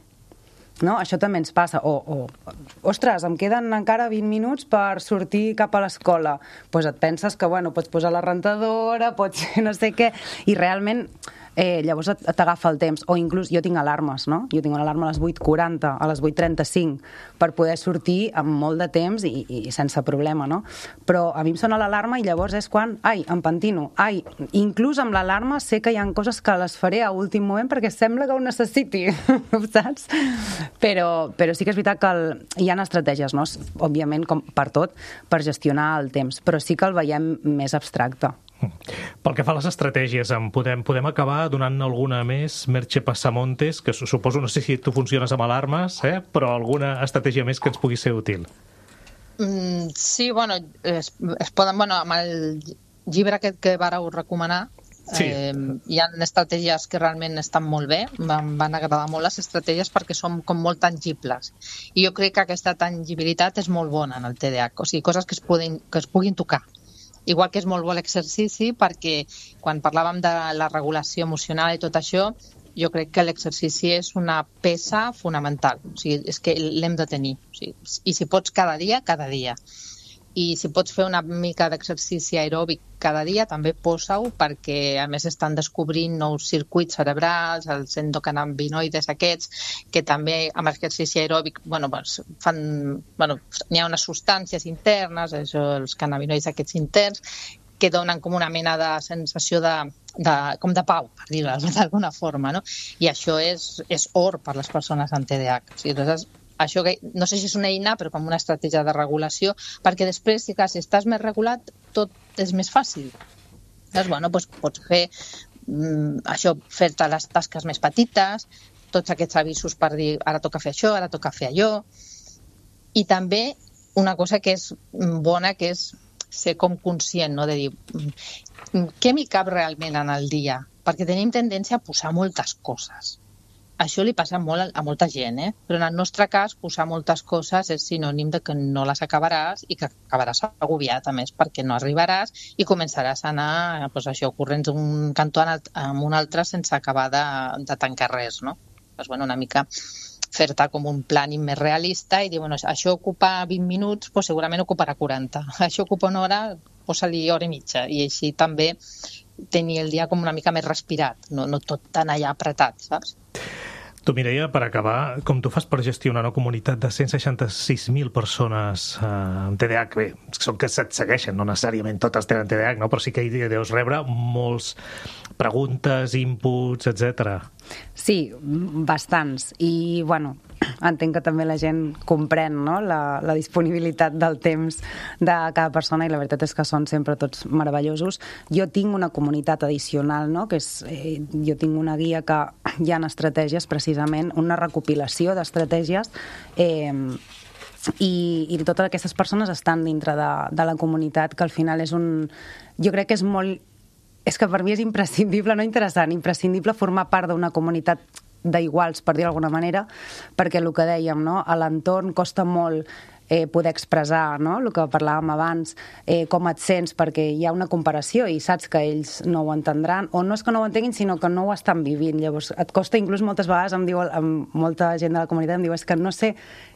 No? Això també ens passa. Ostres, em queden encara 20 minuts per sortir cap a l'escola. Doncs et penses que, bueno, pots posar la rentadora, pots fer no sé què, i realment llavors t'agafa el temps. O inclús jo tinc alarmes, no? Jo tinc una alarma a les 8:40, a les 8:35, per poder sortir amb molt de temps i sense problema, no? Però a mi em sona l'alarma i llavors és quan, em pentino. Inclús amb l'alarma sé que hi ha coses que les faré a últim moment perquè sembla que ho necessiti, saps? Però sí que és veritat que hi ha estratègies, no? Òbviament, com per tot, per gestionar el temps, però sí que el veiem més abstracte. Pel que fa a les estratègies, podem acabar donant alguna més, Merche Passamontes, que suposo, no sé si tu funciones amb alarmes, però alguna estratègia més que ens pugui ser útil? Sí, bueno, es poden, amb el llibre aquest que vareu recomanar, sí. Hi ha estratègies que realment estan molt bé, em van agradar molt les estratègies perquè són com molt tangibles, i jo crec que aquesta tangibilitat és molt bona en el TDAH, o sigui, coses que es puguin tocar. Igual que és molt bo l'exercici, perquè quan parlàvem de la regulació emocional i tot això, jo crec que l'exercici és una peça fonamental. O sigui, és que l'hem de tenir. O sigui, i si pots cada dia, cada dia. i si pots fer una mica d'exercici aeròbic cada dia, també posa-ho, perquè a més estan descobrint nous circuits cerebrals, els endocannabinoides aquests, que també amb exercici aeròbic n'hi ha unes substàncies internes, els cannabinoides aquests interns, que donen com una mena de sensació com de pau, per dir-ho d'alguna forma, no? I això és or per les persones amb TDAH. O sigui, això no sé si és una eina, però com una estratègia de regulació, perquè després, si estàs més regulat, tot és més fàcil. Llavors, pots fer això, fer-te les tasques més petites, tots aquests avisos per dir ara toca fer això, ara toca fer allò. I també una cosa que és bona, que és ser com conscient, no? De dir què m'hi cap realment en el dia, perquè tenim tendència a posar moltes coses. Això li passa molt a molta gent, però en el nostre cas posar moltes coses és sinònim de que no les acabaràs i que acabaràs agobiat, a més, perquè no arribaràs i començaràs a anar corrents d'un cantó a un altre sense acabar de tancar res, no? Una mica fer-te com un plàning més realista i dir, això ocupa 20 minuts, segurament ocuparà 40. Això ocupa una hora, posa-li hora i mitja. I així també tenir el dia com una mica més respirat, no tot tan allà apretat, saps? Tu, Mireia, per acabar, com tu fas per gestionar una comunitat de 166.000 persones amb TDAH? Bé, són que se't segueixen, no necessàriament totes tenen TDAH, no? Però sí que hi deus rebre molts preguntes, inputs, etc. Sí, bastants. I, entenc que també la gent comprèn, no? la disponibilitat del temps de cada persona, i la veritat és que són sempre tots meravellosos. Jo tinc una comunitat addicional, no? Que és, jo tinc una guia que hi ha estratègies, precisament, una recopilació d'estratègies, i totes aquestes persones estan dintre de la comunitat, que al final jo crec que és que per mi és imprescindible, no interessant, imprescindible formar part d'una comunitat d'iguals, per dir d'alguna manera, perquè el que dèiem, no? A l'entorn costa molt poder expressar, no? El que parlàvem abans, com et sents, perquè hi ha una comparació i saps que ells no ho entendran, o no és que no ho entenguin, sinó que no ho estan vivint. Llavors, et costa, inclús moltes vegades, molta gent de la comunitat em diu, és que no sé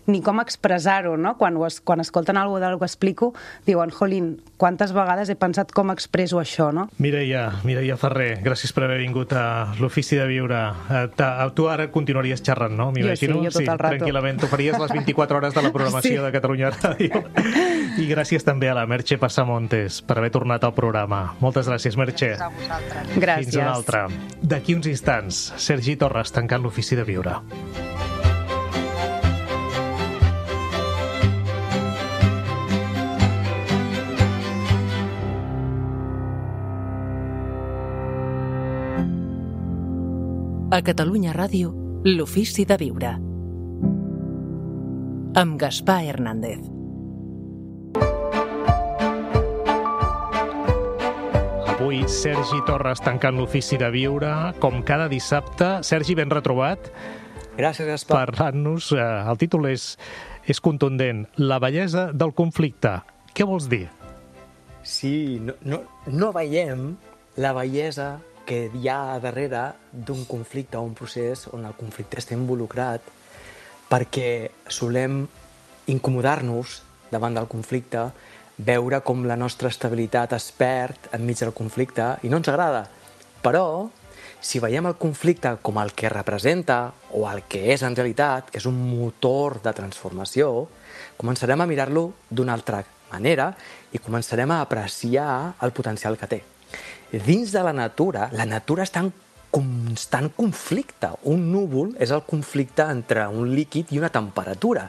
ni com expressar-ho, no? Quan escolten alguna cosa del que explico, diuen, jolín, quantes vegades he pensat com expresso això, no? Mireia Ferrer, gràcies per haver vingut a l'Ofici de Viure. Tu ara continuaries xerrant, no? Jo sí, jo tot el rato. Tranquil·lament, tu faries les 24 hores de la programació de Catalunya Ràdio. I gràcies també a la Merche Passamontes per haver tornat al programa. Moltes gràcies, Merche. Gràcies a vosaltres. Gràcies. Fins una altra. D'aquí uns instants, Sergi Torres tancant l'Ofici de Viure. A Catalunya Ràdio, l'Ofici de Viure. Amb Gaspar Hernández. Avui, Sergi Torres tancant l'Ofici de Viure, com cada dissabte. Sergi, ben retrobat. Gràcies, Gaspar. Parlant-nos, el títol és contundent, La bellesa del conflicte. Què vols dir? Sí, no veiem la bellesa que hi ha darrere d'un conflicte o un procés on el conflicte està involucrat, perquè solem incomodar-nos davant del conflicte, veure com la nostra estabilitat es perd enmig del conflicte i no ens agrada. Però, si veiem el conflicte com el que representa o el que és en realitat, que és un motor de transformació, començarem a mirar-lo d'una altra manera i començarem a apreciar el potencial que té. Dins de la natura està en constant conflicte. Un núvol és el conflicte entre un líquid i una temperatura.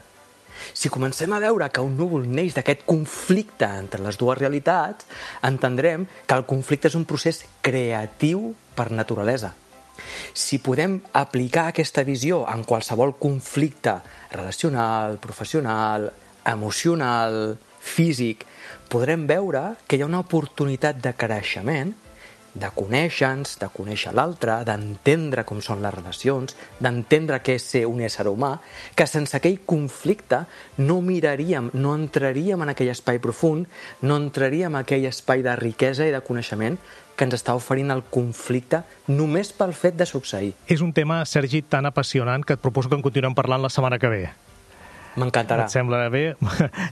Si comencem a veure que un núvol neix d'aquest conflicte entre les dues realitats, entendrem que el conflicte és un procés creatiu per naturalesa. Si podem aplicar aquesta visió en qualsevol conflicte relacional, professional, emocional, físic, podrem veure que hi ha una oportunitat de creixement, de conèixer-nos, de conèixer l'altre, d'entendre com són les relacions, d'entendre què és ser un ésser humà, que sense aquell conflicte no miraríem, no entraríem en aquell espai profund, no entraríem en aquell espai de riquesa i de coneixement que ens està oferint el conflicte només pel fet de succeir. És un tema, Sergi, tan apassionant que et proposo que en continuem parlant la setmana que ve. M'encantarà. Et sembla bé?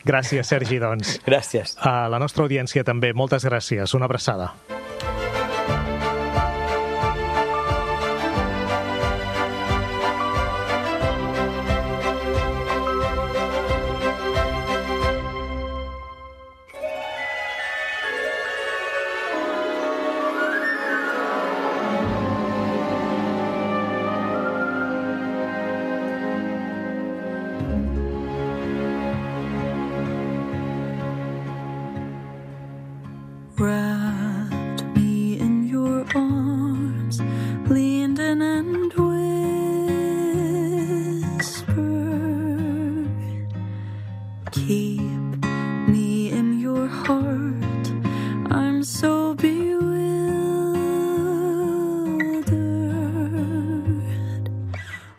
Gràcies, Sergi, doncs. Gràcies. A la nostra audiència també, moltes gràcies. Una abraçada. Wrapped me in your arms, leaned in and whispered, keep me in your heart. I'm so bewildered.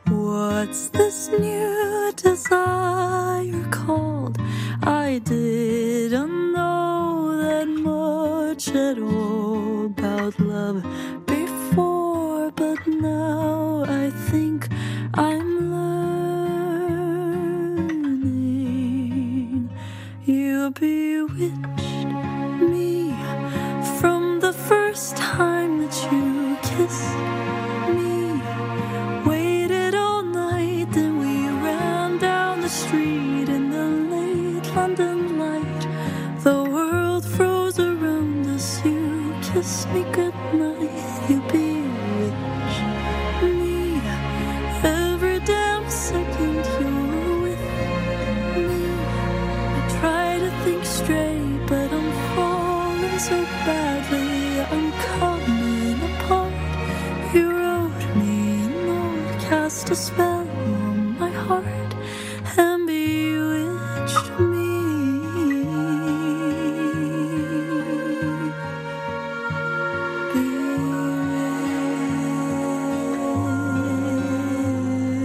What's this new desire called? I didn't know that much at all about love before, but now I think I'm learning. You bewitched me from the first time that you kissed me. Waited all night, then we ran down the street in the late London light. The world froze around us, you kissed me goodnight. You bewitched me. Every damn second you're with me. I try to think straight, but I'm falling so badly. I'm coming apart. You wrote me a note, cast a spell on my heart, and bewitched me.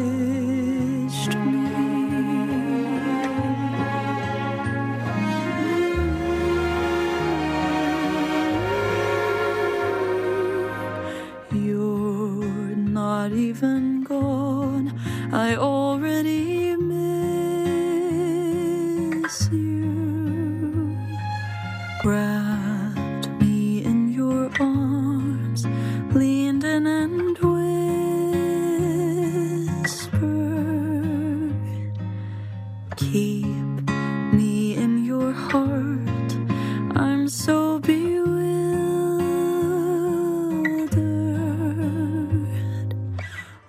Bewitched me. You're not even gone. I already miss you. Wrapped me in your arms, leaned in and whispered, keep me in your heart. I'm so bewildered.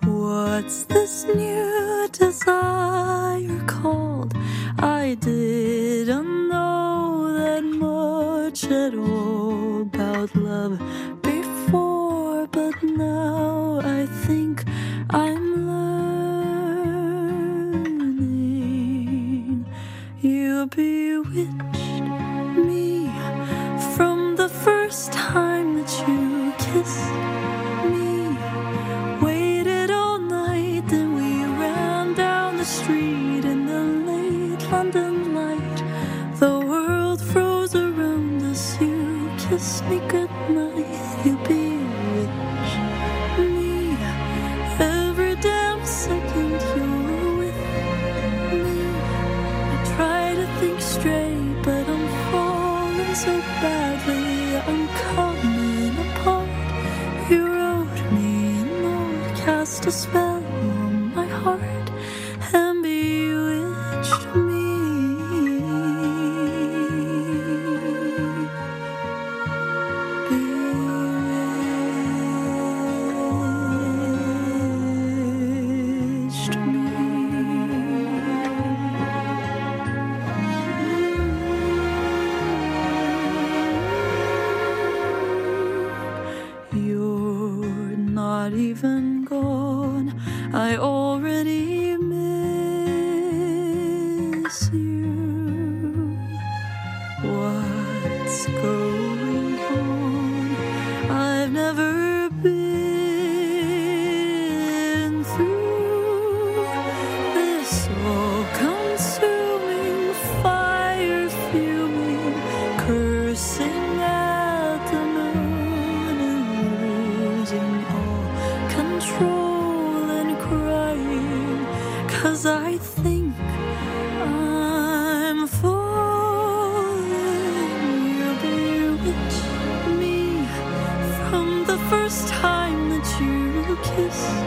What's this new desire called? I didn't know that much at all about love before, but now I think I'm learning. You bewitched me from the first time that you kissed me. Waited all night, then we ran down the street in the late London light. The world froze around us, you kissed me goodnight. You bewitched me. Every damn second you're with me. I try to think straight, but I'm falling so badly. I'm coming apart. You wrote me a note, cast a spell on my heart, and bewitched me. Bewitched me. You're not even gone. I already miss you. What's going on? I've never been through this all-consuming fire, fuming, cursing at the moon and losing all control and crying, 'cause I think first time that you kissed